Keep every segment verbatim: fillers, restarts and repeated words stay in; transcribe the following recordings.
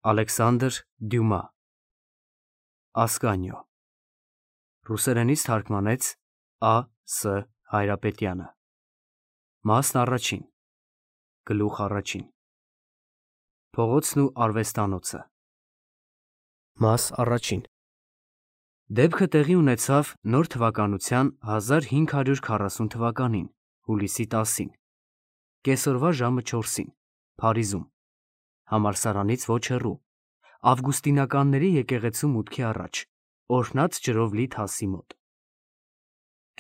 Ալեքսանդր Դյումա Ասկանիո Ռուսերենից թարգմանեց Ա. Ս. Հայրապետյանը Մասն առաջին Գլուխ առաջին Փողոցն ու արվեստանոցը Մաս առաջին Դեպքը տեղի ունեցավ նոր թվականության հազար հինգ հարյուր քառասուն թվականին հուլիսի տասին կեսօրվա ժամը չորսին Փարիզում համալսարանից ոչ հեռու ավգուստինականների եկեղեցու մուտքի առաջ օրհնած ջրով լի թասի մոտ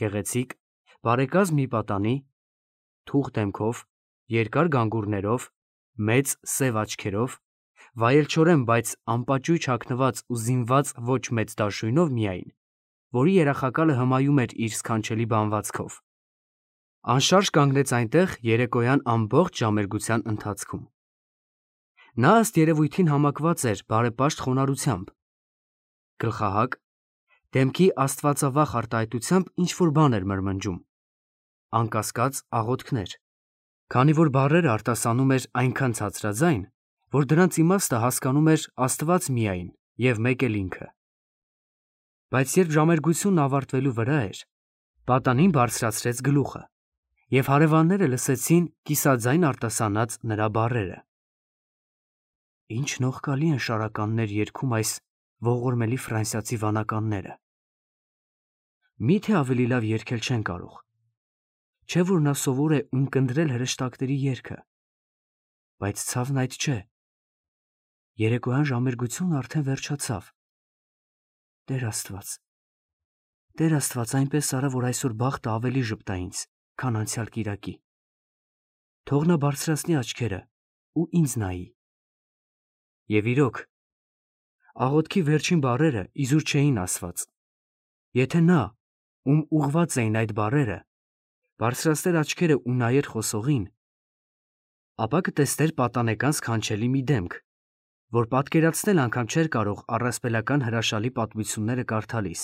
գեղեցիկ բարեկազմ մի պատանի թուխ դեմքով երկար գանգուրներով մեծ սև աչքերով վայելչորեն բայց անպաճույճ հագնված ու զինված ոչ մեծ դաշույնով միայն որի երախակալը հմայում էր իր սքանչելի բանվածքով անշարժ կանգնեց այնտեղ երեկոյան ամբողջ ժամերգության ընթացքում նա ըստ երևույթին համակված էր բարեպաշտ խոնարհությամբ գլխահակ դեմքի աստվածավախ արտահայտությամբ ինչ-որ բան էր մրմնջում անկասկած աղոթքներ քանի որ բառերը արտասանում էր այնքան ցածրաձայն որ դրանց իմաստը հասկանում էր Աստված միայն և մեկ էլ ինքը բայց երբ ժամերգությունն ավարտվելու վրա էր պատանին բարձրացրեց գլուխը և հարևանները լսեցին կիսաձայն արտասանած նրա բառերը Ինչ նողկալի են շարականներ երգում այս ողորմելի ֆրանսիացի վանականները Մի՞թե ավելի լավ երգել չեն կարող Չէ՞ որ նա սովոր է ունկնդրել հրեշտակների երգը բայց ցավն այդ չէ երեկոյան ժամերգությունն արդեն վերջացավ Տեր Աստված Տեր Աստված այնպես արա որ այսօր բախտը ավելի ժպտա ինձ քան անցյալ կիրակի Թող նա բարձրացնի աչքերը ու ինձ նայի Եվ իրոք, աղոթքի վերջին բառերը իզուր չէին ասված, եթե նա, ում ուղղված էին այդ բառերը, բարձրացներ աչքերը ու նայեր խոսողին, ապա կտեսներ պատանեկան սքանչելի մի դեմք, որ պատկերացնել անգամ չէր կարող առասպելական հրաշալի պատմությունները կարդալիս,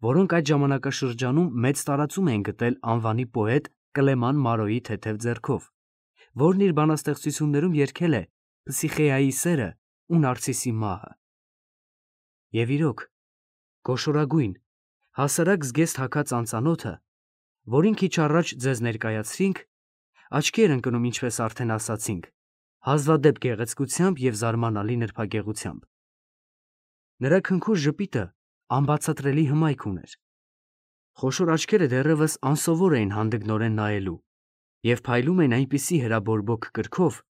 որոնք այդ ժամանակաշրջանում մեծ տարածում էին գտել անվանի պոետ Կլեման Մարոյի թեթև ձեռքով, որն իր բանաստեղծություններում երգել է Փսիխեայի սերը ու Նարցիսի մահը։ Եվ իրոք, գոշորագույն, հասարակ զգեստ հագած անծանոթը, որին քիչ առաջ ձեզ ներկայացրինք, աչքի էր ընկնում, ինչպես արդեն ասացինք, հազվադեպ գեղեցկությամբ և զարմանալի նրբագեղությամբ։ Նրա քնքուշ ժպիտը անբացատրելի հմայք ուներ։ Խոշոր աչքերը դեռևս անսովոր էին հանդգնորեն նայելու և փայլում էին այնպիսի հրաբորբոք կրքով,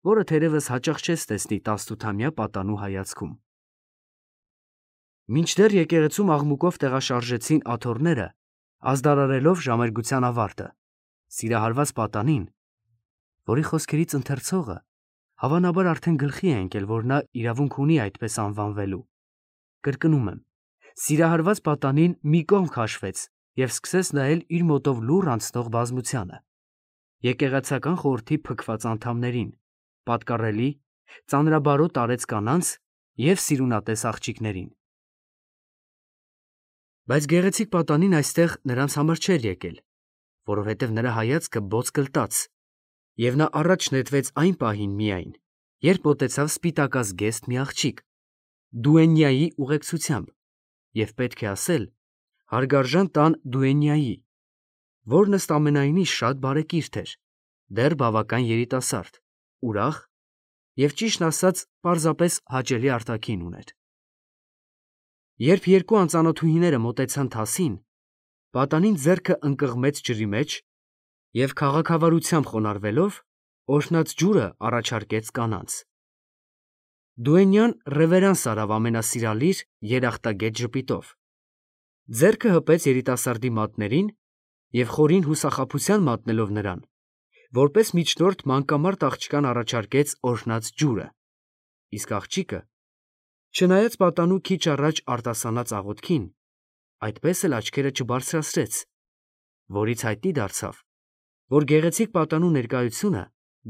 որը թերևս հաճախ չես տեսնի տասնութամյա պատանու հայացքում։ Մինչդեռ եկեղեցում աղմուկով տեղաշարժեցին աթոռները, ազդարարելով ժամերգության ավարտը, սիրահարված պատանին, որի խոսքերից ընթերցողը հավանաբար արդեն գլխի է ընկել, որ նա իրավունք ունի այդպես անվանվելու, կրկնում եմ, սիրահարված պատանին մի կողմ քաշվեց և սկսեց նայել իր մոտով լուռ անցնող բազմությանը, եկեղեցական խորհրդի փքված անդամներին, պատկառելի, ծանրաբարոտ արեց կանանց և սիրունատես աղջիկներին։ Բայց գեղեցիկ պատանին այստեղ նրանց համար չէր եկել, որովհետև նրա հայացքը բոց կլտաց, և նա առաջ նետվեց այն պահին միայն, երբ մոտեցավ սպիտակազգեստ մի աղջիկ, դուենյայի ուղեկցությամբ, և պետք է ասել, հարգարժան տան դուենյայի, որն ըստ ամենայնի շատ բարեկիրթ էր, դեռ բավական երիտասարդ, ուրախ և ճիշտն ասած պարզապես հաճելի արտաքին ուներ։ Երբ երկու անծանոթուհիները մոտեցան թասին, պատանին ձեռքը ընկղմեց ջրի մեջ և քաղաքավարությամբ խոնարհվելով, օրհնած ջուրը առաջարկեց կանանց։ Դուենյան ռևերանս արավ ամենասիրալիր, երախտագետ ժպիտով, ձեռքը հպեց երիտասարդի մատներին և խորին հուսախաբության մատնելով նրան, որպես միջնորդ մանկամարտ աղջկան առաջարկեց օրհնած ջուրը, իսկ աղջիկը, չնայած պատանու քիչ առաջ արտասանած աղոթքին, այդպես էլ աչքերը չբարձրացրեց, որից հայտնի դարձավ, որ գեղեցիկ պատանու ներկայությունը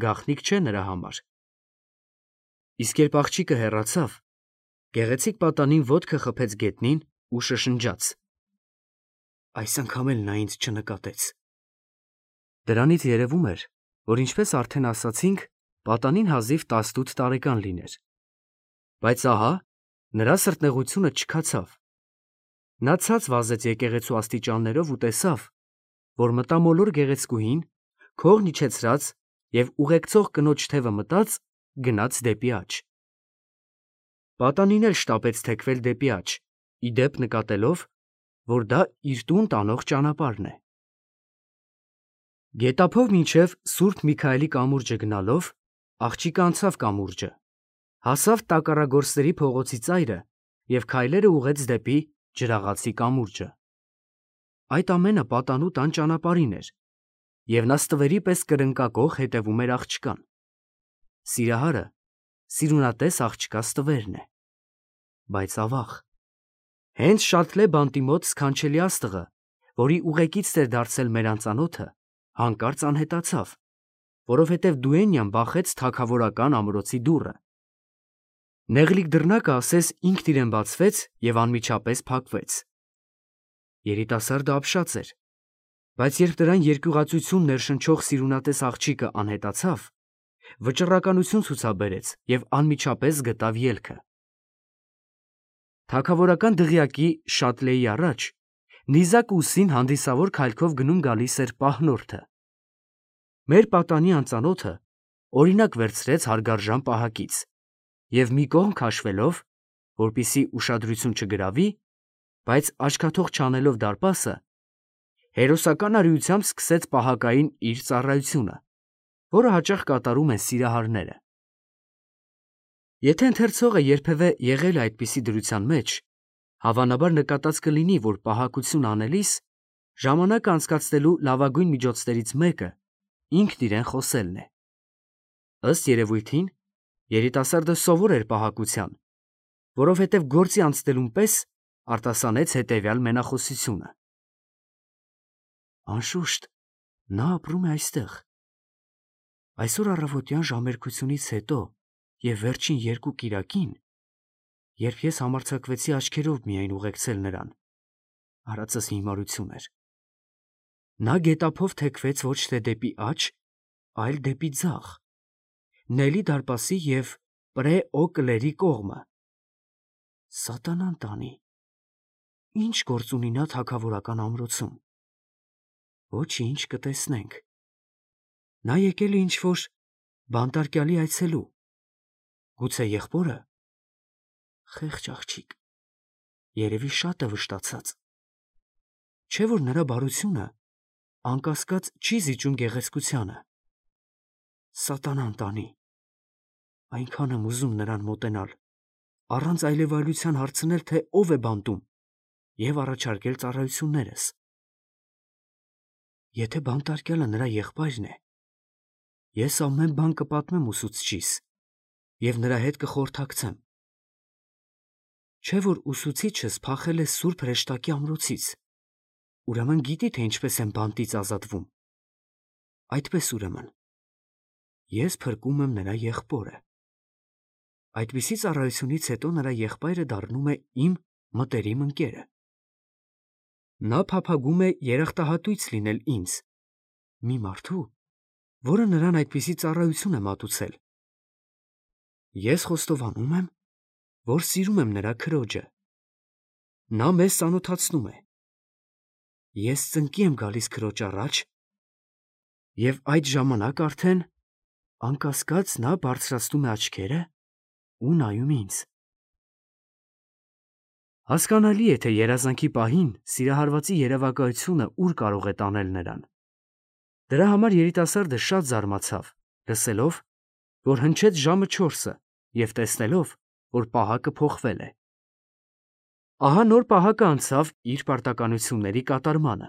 գաղտնիք չէ նրա համար։ Իսկ երբ աղջիկը հեռացավ, գեղեցիկ պատանին ոտքը խփեց գետնին ու շշնջաց. Այս անգամ էլ նա ինձ չնկատեց։ Դրանից երևում էր, որ ինչպես արդեն ասացինք, պատանին հազիվ տասնութ տարեկան լիներ, Բայց ահա, նրա սրտնեղությունը չքացավ։ Նա ցած վազեց եկեղեցու աստիճաններով ու տեսավ, որ մտամոլոր գեղեցկուհին, քողն իջեցրած և ուղեկցող կնոջ թևը մտած, գնաց դեպի աջ։ Պատանին էլ շտապեց թեքվել դեպի աջ, ի դեպ նկատելով, որ դա իր տուն տանող ճանապարհն է։ Գետափով մինչև Սուրբ Միքայելի կամուրջը գնալով, աղջիկը անցավ կամուրջը, հասավ Տակառագործների փողոցի ծայրը և քայլերը ուղղեց դեպի Ջրաղացի կամուրջը։ Այդ ամենը պատանու տան ճանապարհին էր, և նա ստվերի պես կրնկակոխ հետևում էր աղջկան։ Սիրահարը սիրունատես աղջկա ստվերն է։ Բայց ավաղ, հենց Շատլե բանտի մոտ սքանչելի աստղը, որի ուղեկիցն էր դարձել մեր անծանոթը, հանկարծ անհետացավ, որովհետև Դուենյան բախեց թագավորական ամրոցի դուռը։ Նեղլիկ դռնակը ասես ինքն իրեն բացվեց և անմիջապես փակվեց։ Երիտասարդը ապշած էր, բայց երբ դրան երկյուղածություն ներշնչող սիրունատես աղջիկը անհետացավ, վճռականություն ցուցաբերեց և անմիջապես գտավ ելքը։ Թագավորական դղյակի Շատլեի առաջ նիզակ ուսին հանդիսավոր քայլքով գնում֊գալիս էր պահնորդը։ Մեր պատանի անծանոթը օրինակ վերցրեց հարգարժան պահակից և մի կողմ քաշվելով, որպեսզի ուշադրություն չգրավի, բայց աչքաթող չանելով դարպասը, հերոսական արիությամբ սկսեց պահակային իր ծառայությունը, որը հաճախ կատարում են սիրահարները։ Եթե ընթերցողը երբևէ եղել է այդպիսի դրության մեջ, հավանաբար նկատած կլինի, որ պահակություն անելիս ժամանակ անցկացնելու լավագույն միջոցներից մեկը ինքն իրեն խոսելն է։ Ըստ երևույթին, երիտասարդը սովոր էր պահակության, որովհետև գործի անցնելուն պես արտասանեց հետևյալ մենախոսությունը. «Անշուշտ, նա ապրում է այստեղ։ Այսօր առավոտյան ժամերկությունից հետո և վերջին երկու կիրակին, երբ ես համարձակվեցի աչքերով միայն ուղեկցել նրան, արածս հիմարություն էր։ Նա գետափով թեքվեց ոչ թե դեպի աջ, այլ դեպի ձախ, Նելի դարպասի և Պրե օ Կլերի կողմը։ Սատանան տանի, ի՞նչ գործ ունի նա թագավորական ամրոցում։ Ոչինչ, կտեսնենք։ Նա եկել է ինչ-որ բանտարկյալի այցելու։ Գուցե եղբորը։ Խեղճ աղջիկ, երևի շատ է վշտացած։ Չէ՞ որ նրա բարությունը անկասկած չի զիջում գեղեցկությանը։ Սատանան տանի, այնքան եմ ուզում նրան մոտենալ, առանց այլևայլության հարցնել, թե ով է բանտում, և առաջարկել ծառայություններս։ Եթե բանտարկյալը նրա եղբայրն է, ես ամեն բան կպատմեմ ուսուցչիս և նրա հետ կխորհրդակցեմ։ Չէ՞ որ ուսուցիչս փախել է Սուրբ Հրեշտակի ամրոցից, ուրեմն գիտի, թե ինչպես են բանտից ազատվում։ Այդպես ուրեմն, ես փրկում եմ նրա եղբորը։ Այդպիսի ծառայությունից հետո նրա եղբայրը դառնում է իմ մտերիմ ընկերը։ Նա փափագում է երախտահատույց լինել ինձ, մի մարդու, որը նրան այդպիսի ծառայություն է մատուցել։ Ես խոստովանում եմ, որ սիրում եմ նրա քրոջը։ Նա մեզ ծանոթացնում է։ Ես ծնկի եմ գալիս քրոջ առաջ, և այդ ժամանակ արդեն, անկասկած, նա բարձրացնում է աչքերը ու նայում ինձ։ Հասկանալի է, թե երազանքի պահին սիրահարվածի երևակայությունը ուր կարող է տանել նրան։ Դրա համար երիտասարդը շատ զարմացավ, լսելով, որ հնչեց ժամը չորսը և տեսնելով, որ պահակը փոխվել է։ Ահա նոր պահակը անցավ իր պարտականությունների կատարմանը,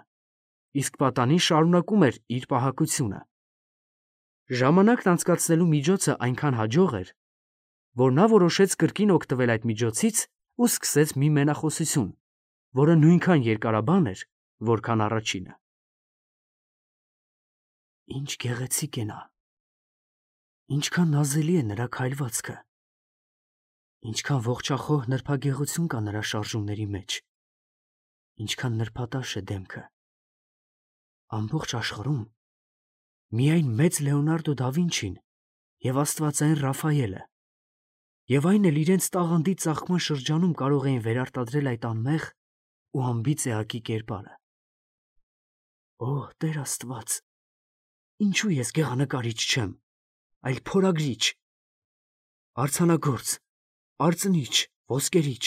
իսկ պատանին շարունակում էր իր պահակությունը։ Ժամանակն անցկացնելու միջոցը այնքան հաջող էր, որ նա որոշեց կրկին օգտվել այդ միջոցից ու սկսեց մի մենախոսություն, որը նույնքան երկարաբան էր, որքան առաջինը. Ինչ գեղեցիկ է նա, ինչքան նազելի է նրա քայլվածքը, ինչքան ողջախոհ նրբագեղություն կա նրա շարժումների մեջ, ինչքան նրբատաշ է դեմքը։ Ամբողջ աշխարհում միայն մեծ Լեոնարդո դա Վինչին և աստվածային Ռաֆայելը և այն էլ իրենց տաղանդի ծաղկման շրջանում կարող էին վերարտադրել այդ անմեղ ու անբիծ էակի կերպարը։ Օ, Տեր Աստված, ինչու ես գեղանկարիչ չեմ, այլ փորագրիչ, արձանագործ, արծնիչ, ոսկերիչ։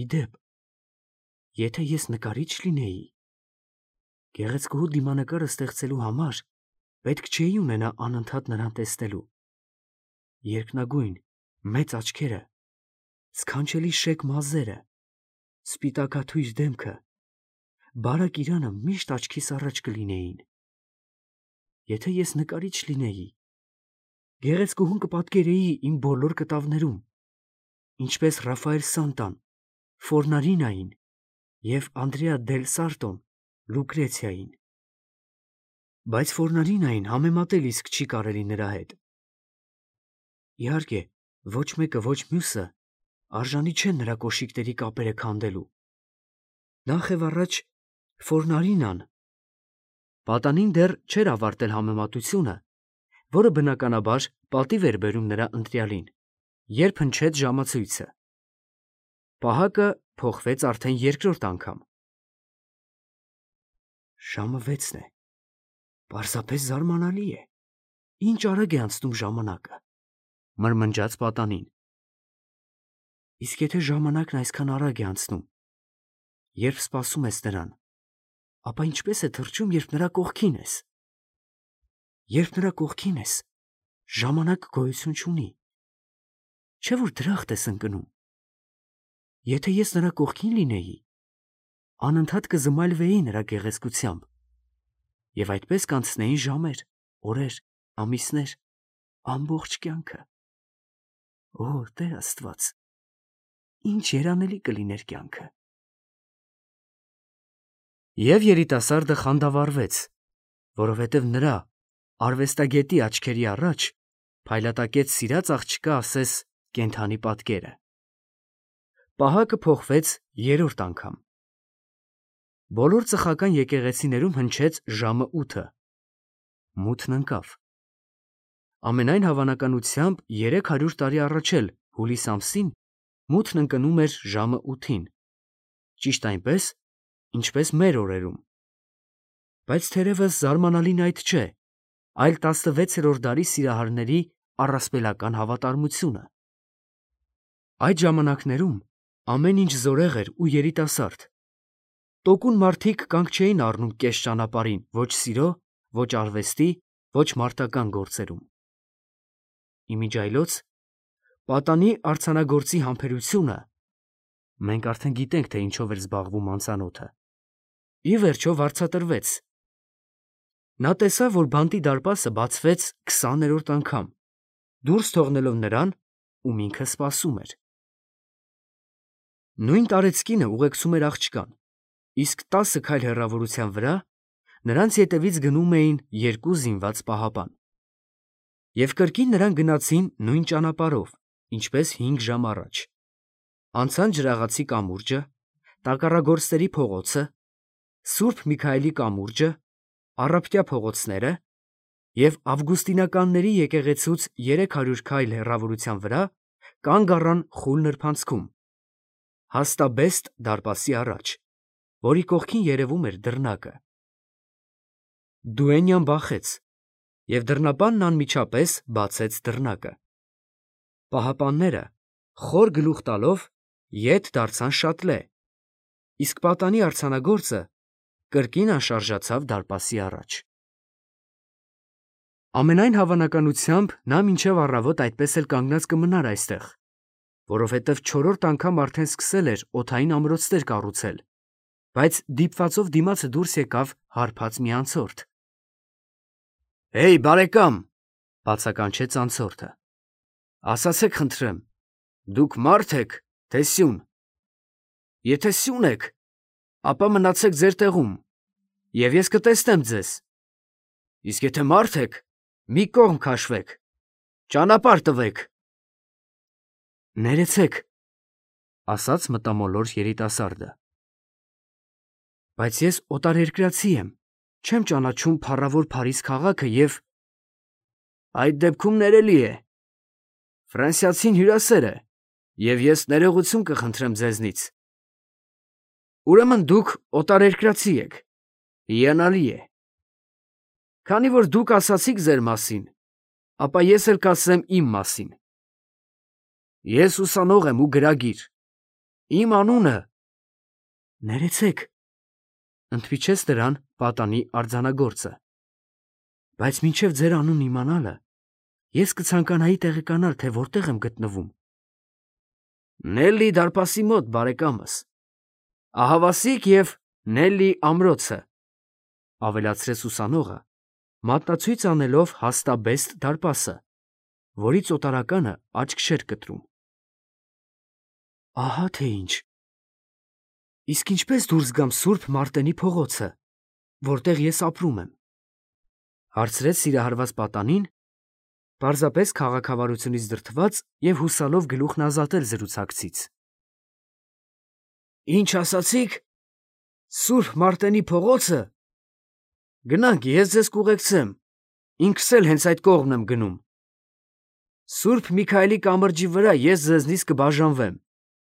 Իդեպ, եթե ես նկարիչ լինեի, գեղեցկուհու դիմանկարը ստեղծելու համար պետք չէի ունենա անընդհատ նրան տեսնելու։ Երկնագույն, մեծ աչքերը, սքանչելի շեկ մազերը, սպիտակաթույր դեմքը, բարակ իրանը միշտ աչքիս առաջ կլինեին։ Եթե ես նկարիչ լինեի, գեղեցկուհուն կպատկերեի իմ բոլոր կտավներում, ինչպես Ռաֆայել Սանտան, Ֆորնարինային և Անդրեա դել Սարտոն Լուկրեցիային։ Բայց Ֆորնարինային համեմատել իսկ չի կարելի նրա հետ։ Իհարկե, ոչ մեկը, ոչ մյուսը արժանի չեն նրա կոշիկների կապերը քանդելու։ Նախ և առաջ Ֆորնարինան պատանին դեռ չէր ավարտել համեմատությունը, որը բնականաբար պատիվ էր բերում նրա ընտրյալին, երբ հնչեց ժամացույցը։ Պահակը փոխվեց արդեն երկրորդ անգամ։ Ժամը վեցն է, պարզապես զարմանալի է, ինչ արագ է անցնում ժամանակը, մրմնջաց պատանին։ Իսկ եթե ժամանակն այսքան արագ է անցնում, երբ սպասում ես նրան, ապա ինչպես է թռչում, երբ նրա կողքին ես։ Երբ նրա կողքին ես, ժամանակը գոյություն չունի, չէ՞ որ դրախտ ես ընկնում։ Եթե ես նրա կողքին լինեի, անընդհատ կզմայլվեի նրա գեղեցկությամբ, և այդպես կանցնեին ժամեր, օրեր, ամիսներ, ամբողջ կյանքը։ Օ, Տեր Աստված, ինչ երանելի կլիներ կյանքը։ Եվ երիտասարդը խանդավառվեց, որովհետև նրա արվեստագետի աչքերի առաջ փայլատակեց սիրած աղջկա ասես կենդանի պատկերը։ Պահակը փոխվեց երրորդ անգամ։ Բոլոր ծխական եկեղեցիներում հնչեց ժամը ութը։ Մութն ընկավ։ Ամենայն հավանականությամբ երեք հարյուր տարի առաջ էլ հուլիս ամսին մութն ընկնում էր ժամը ութին, ճիշտ այնպես, ինչպես մեր օրերում։ Բայց թերևս զարմանալին այդ չէ, այլ տասնվեցերորդ դարի սիրահարների առասպելական հավատարմությունը։ Այդ ժամանակներում ամեն ինչ զորեղ էր ու երիտասարդ։ Տոկուն մարդիկ կանգ չէին առնում կես ճանապարհին ոչ սիրո, ոչ արվեստի, ոչ մարտական գործերում։ Իմիջիայլոց պատանի արձանագործի համբերությունը (մենք արդեն գիտենք, թե ինչով էր զբաղվում անծանոթը) ի վերջո վարձատրվեց։ Նա տեսավ, որ բանտի դարպասը բացվեց քսաներորդ անգամ, դուրս թողնելով նրան, ում ինքը սպասում էր։ Նույն տարեցկինը ուղեկցում էր աղջկան, իսկ տասը քայլ հեռավորության վրա նրանց ետևից գնում էին երկու զինված պահապան։ Եվ կրկին նրանք գնացին նույն ճանապարհով, ինչպես հինգ ժամ առաջ։ Անցան Ջրաղացի կամուրջը, Տակառագործների փողոցը, Սուրբ Միքայելի կամուրջը, Առափտյա փողոցները և Ավգուստինականների եկեղեցուց երեք հարյուր քայլ հեռավորության վրա կանգ առան խուլ նրբանցքում, հաստաբեստ դարպասի առաջ, որի կողքին երևում էր դռնակը։ Դուենյան բախեց, և դռնապանն անմիջապես բացեց դռնակը։ Պահապանները, խոր գլուխ տալով, ետ դարձան շատլե, իսկ պատանի արձանագործը կրկին անշարժացավ դարպասի առաջ։ Ամենայն հավանականությամբ նա մինչև առավոտ այդպես էլ կանգնած կմնար այստեղ, որովհետև չորրորդ անգամ արդեն սկսել էր օդային ամրոցներ կառուցել, բայց դիպվածով դիմացը դուրս եկավ հարբած մի անցորդ։ «Հեյ, բարեկամ», բացականչեց անցորդը, «ասացեք խնդրեմ, դուք մարդ եք, թե սյուն։ Եթե սյուն եք, ապա մնացեք ձեր տեղում, և ես կտեսնեմ ձեզ, իսկ եթե մարդ եք, մի կողմ քաշվեք, ճանապարհ տվեք»։ «Ներեցեք», ասաց մտամոլոր երիտասարդը, «բայց ես օտարերկրացի եմ, չեմ ճանաչում փառավոր Փարիզ քաղաքը և…» «Այդ դեպքում ներելի է, Ֆրանսիացին հյուրասեր է, և ես ներողություն կխնդրեմ ձեզնից։ Ուրեմն դուք օտարերկրացի եք, հիանալի է։ Քանի որ դուք ասացիք ձեր մասին, ապա ես էլ կասեմ իմ մասին։ Ես ուսանող եմ ու գրագիր։ Իմ անունը… Ներեցեք, ընդմիջեց նրան պատանի արձանագործը, բայց մինչև ձեր անունն իմանալը, ես կցանկանայի տեղեկանալ, թե որտեղ եմ գտնվում։ Նելլի դարպասի մոտ, բարեկամս, ահավասիկ և Նելլի ամրոցը, ավելացրեց ուսանողը, մատնացույց անելով հաստաբեստ դարպասը, որից օտարականը աչք չէր կտրում։ Ահա թե ինչ։ Իսկ ինչպես դուրս գամ Սուրբ Մարտենի փողոցը, որտեղ ես ապրում եմ, հարցրեց սիրահարված պատանին, պարզապես քաղաքավարությունից դրդված և հուսալով գլուխն ազատել զրուցակցից։ Ինչ ասացիք, Սուրբ Մարտենի փողոցը… Գնանք, ես ձեզ կուղեկցեմ, ինքս էլ հենց այդ կողմն եմ գնում։ Սուրբ Միքայելի կամրջի վրա ես ձեզնից կբաժանվեմ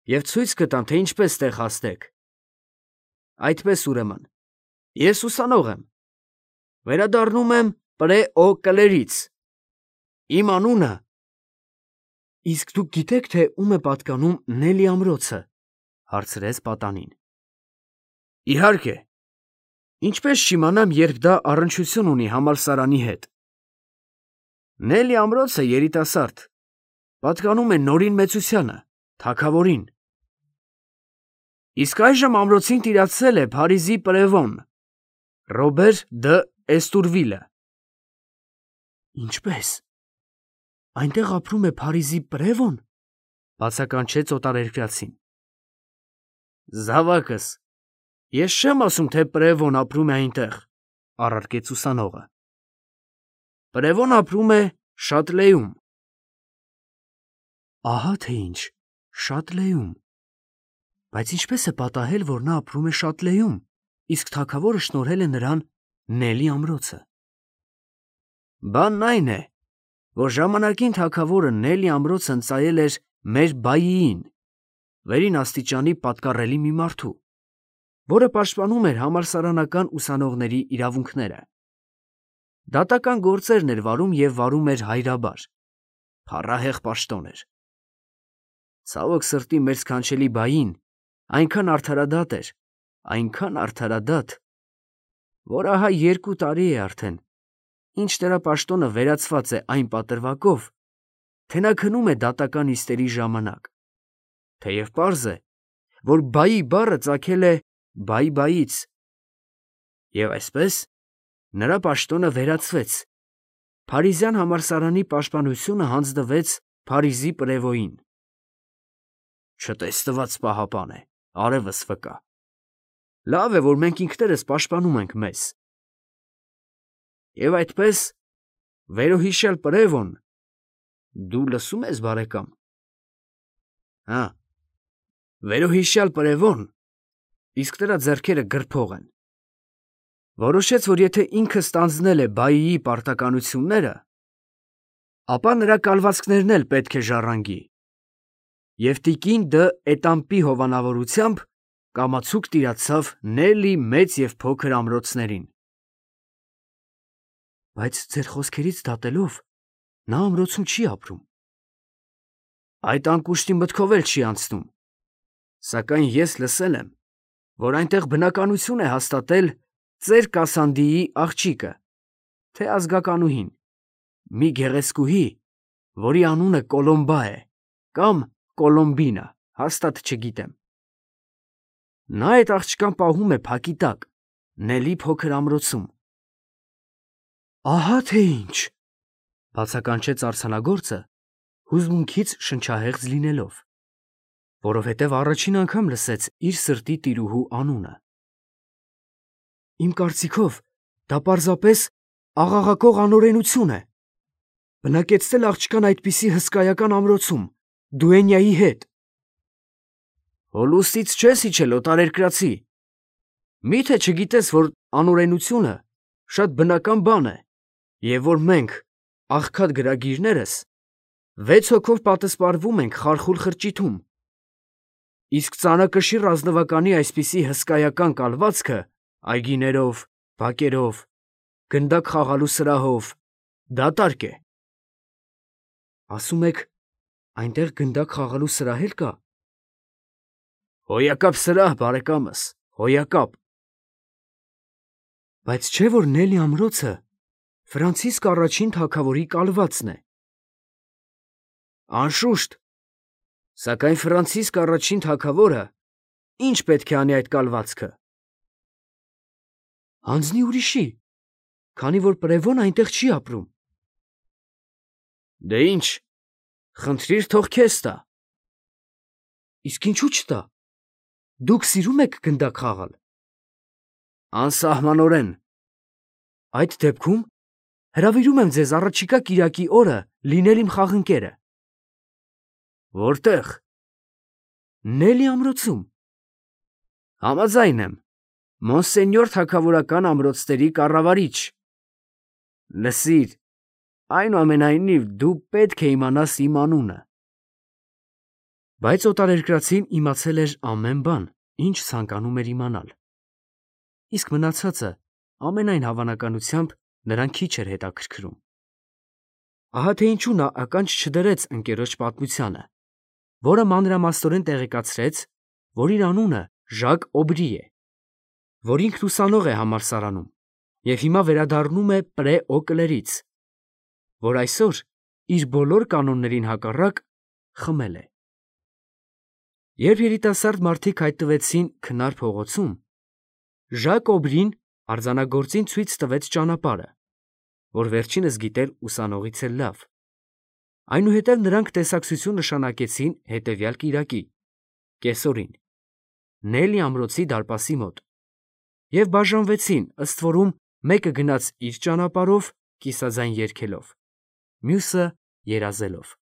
և ցույց կտամ, թե ինչպես տեղ հասնեք։ Այդպես ուրեմն, ես ուսանող եմ, վերադառնում եմ Պրե օ Կլերից։ Իմ անունը… Իսկ դուք գիտեք, թե ում է պատկանում Նելլի ամրոցը, հարցրեց պատանին։ Իհարկե, ինչպես չիմանամ, երբ դա առնչություն ունի համալսարանի հետ։ Նելլի ամրոցը երիտասարդ, պատկանում է Նորին մեծությանը, թագավորին։ Իսկ այժմ ամրոցին տիրացել է Փարիզի պրևոն, Ռոբեր դը Էստուրվիլը։ Ինչպե՞ս, այնտեղ ապրում է Փարիզի պրևոն, բացականչեց օտարերկրացին։ Զավակս, ես չեմ ասում, թե պրևոն ապրում է այնտեղ, առարկեց ուսանողը։ Պրևոն ապրում է Շատլեում։ Ահա թե ինչ, Շատլեում։ Բայց ինչպես է պատահել, որ նա ապրում է Շատլեում, իսկ թագավորը շնորհել է նրան Նելլի ամրոցը։ Բանն այն է, որ ժամանակին թագավորը Նելլի ամրոցը ընծայել էր մեր բայիին, վերին աստիճանի պատկառելի մի մարդու, որը պաշտպանում էր համալսարանական ուսանողների իրավունքները։ Դատական գործերն էր վարում և վարում էր հայրաբար, փառահեղ պաշտոն էր։ Ցավոք սրտի մեր սքանչելի բային այնքան արդարադատ էր, այնքան արդարադատ, որ ահա երկու տարի է արդեն, ինչ նրա պաշտոնը վերացված է այն պատրվակով, թե նա քնում է դատական նիստերի ժամանակ, թեև պարզ է, որ բայի բառը ծագել է բայի-բայից, և այսպես նրա պաշտոնը վերացվեց, Փարիզյան համալսարանի պաշտպանությունը հանձնվեց Փարիզի պրևոյին։ Չտեսնված պահապան է, արևս վկա։ Լավ է, որ մենք ինքներս պաշտպանում ենք մեզ։ Եվ այդպես, վերոհիշյալ պրևոն, դու լսում ես, բարեկամ։ Հա, վերոհիշյալ պրևոն, իսկ նրա ձեռքերը գրփող են, որոշեց, որ եթե ինքը ստանձնել է բայիի պարտականությունները, ապա նրա կալվածքներն էլ պետք է ժառանգի, և տիկին դը Էտամպի հովանավորությամբ կամացուկ տիրացավ Նելլի մեծ և փոքր ամրոցներին։ Բայց ձեր խոսքերից դատելով, նա ամրոցում չի ապրում։ Այդ անկուշտի մտքով էլ չի անցնում, սակայն ես լսել եմ, որ այնտեղ բնականություն է հաստատել ծեր Կասանդիի աղջիկը, թե ազգականուհին, մի գեղեցկուհի, որի անունը Կոլոմբա է, կամ Կոլոմբինա, հաստատ չգիտեմ։ Նա այդ աղջկան պահում է փակի տակ, Նելլի փոքր ամրոցում։ Ահա թե ինչ, բացականչեց արձանագործը, հուզմունքից շնչահեղձ լինելով, որովհետև առաջին անգամ լսեց իր սրտի տիրուհու անունը։ Իմ կարծիքով, դա պարզապես աղաղակող անօրենություն է։ Բնակեցնել աղջկան այդպիսի հսկայական ամրոցում, դուենյայի հետ։ Հոլուստից չես իջել, օտարերկրացի։ Մի՞թե չգիտես, որ անօրենությունը շատ բնական բան է, և որ մենք, աղքատ գրագիրներս, Վեց հոգով պատսպարվում ենք խարխուլ խրճիթում։ Իսկ ծանրակշիռ ազնվականի այսպիսի հսկայական կալվածքը այգիներով, բակերով, գնդակ խաղալու սրահով դատարկ է։ Ասում եք, այնտեղ գնդակ խաղալու սրահ էլ կա։ Հոյակապ սրահ, բարեկամս, հոյակապ։ Բայց չէ՞ որ Նելի ամրոցը Ֆրանցիսկ առաջին թագավորի կալվածն է։ Անշուշտ, սակայն Ֆրանցիսկ առաջին թագավորը ինչ պետք է անի այդ կալվածքը։ Հանձնի ուրիշի, քանի որ Պրևոն այնտեղ չի ապրում։ Դե ինչ, խնդրիր թող քեզ տա։ Իսկ ինչու չտա։ Դուք սիրում եք գնդակ խաղալ։ Անսահմանորեն։ Այդ դեպքում հրավիրում եմ ձեզ առաջիկա կիրակի օրը լինել իմ խաղընկերը։ Որտե՞ղ։ Նելի ամրոցում։ Համաձայն եմ, մոնսենյոր թագավորական ամրոցների կառավարիչ։ Լսիր, այնուամենայնիվ դու պետք է իմանաս իմ անունը։ Բայց օտարերկրացին իմացել էր ամեն բան, ինչ ցանկանում էր իմանալ։ Իսկ մնացածը ամենայն հավանականությամբ նրան քիչ էր հետաքրքրում։ Ահա թե ինչու նա ականջ չդրեց ընկերոջ պատմությանը, որը մանրամասնորեն տեղեկացրեց, որ իր անունը Ժակ Օբրի է, որ ինքն ուսանող է համալսարանում և հիմա վերադառնում է Պրե Օկլերից, որ այսօր իր բոլոր կանոններին հակառակ խմել է։ Երբ երիտասարդ մարդիկ հայտնվեցին քնար փողոցում, Ժակ Օբրին արձանագործին ցույց տվեց ճանապարհը, որ վերջինս գիտեր ուսանողից էլ լավ։ Այնուհետև նրանք տեսակցություն նշանակեցին հետևյալ կիրակի, կեսօրին, Նելի ամրոցի դարպասի մոտ, և բաժանվեցին, ըստ որում մեկը գնաց իր ճանապարհով, կիսաձայն երգելով, մյուսը երազելով։